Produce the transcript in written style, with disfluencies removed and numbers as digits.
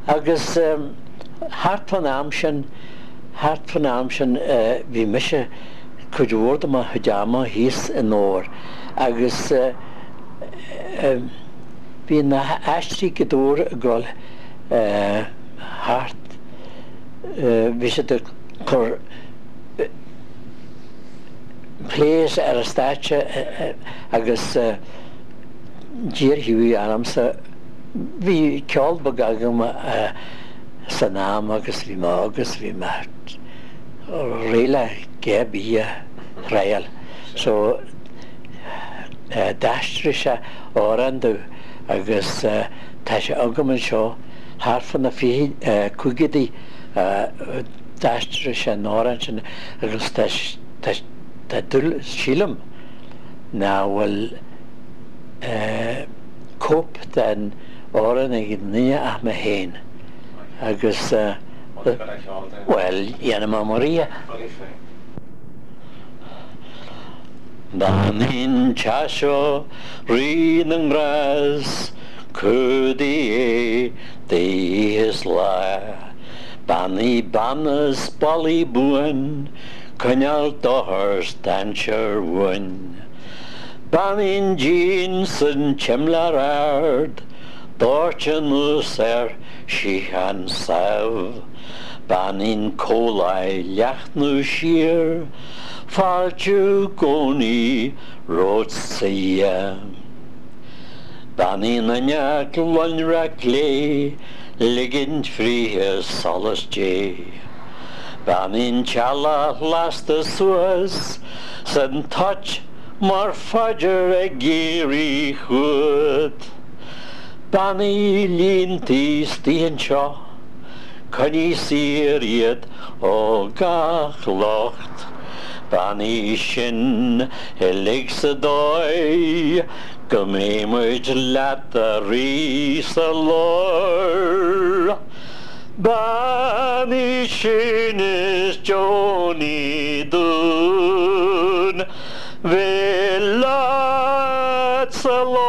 Agus thart fán am sin, thart fán am sin bhí mise cuid mhór de mo chuid ama thíos i nDobhar agus bhí na haistrí go Dobhar ag dul thart, bhí siad ag cur plays ar an stáitse agus d'iarr Hughie ormsa, bhí ceol beag agam san am agus bhí mé óg agus bhí mé réidh le a dhath ar bith a thriail so d'aistrigh sé amhrán domh agus tá sé agam anseo thart fá na fichidí d'aistrigh sé an amhrán sin agus tá tá dúil sílim nach bhfuil cóip den amhrán ag aon duine ach mé féin agus bhuel dhéanfaidh mé mo ríthe. Beannaím teach seo Rí na nGrást, cumhdaigh é d'oíche is lá. Beannaigh beanna 's ballaí buan, coinneáil dochar 's dainséar uainn. Beannaigh an díon 's an tsimléar ard, doirt anuas air síocháin sámh. Beannaigh an comhláith leathnú siar, fáiltiú i gcónaí romhatsa a Dhia. Beannaigh an fhuinneog lonrach glé, ligint fríthi solas Dé. Beannaigh an teallach lasta suas 's an toit mar phaidir ag éirí chugat. Beannaigh líontaí istigh anseo, coinnigh saor iad ó gach locht. Beannaigh sinn uilig sa dóigh go mbeidh muid leat a Rí sa lár. Beannaigh sinn is deonaigh dúinn bheith leat sa lár.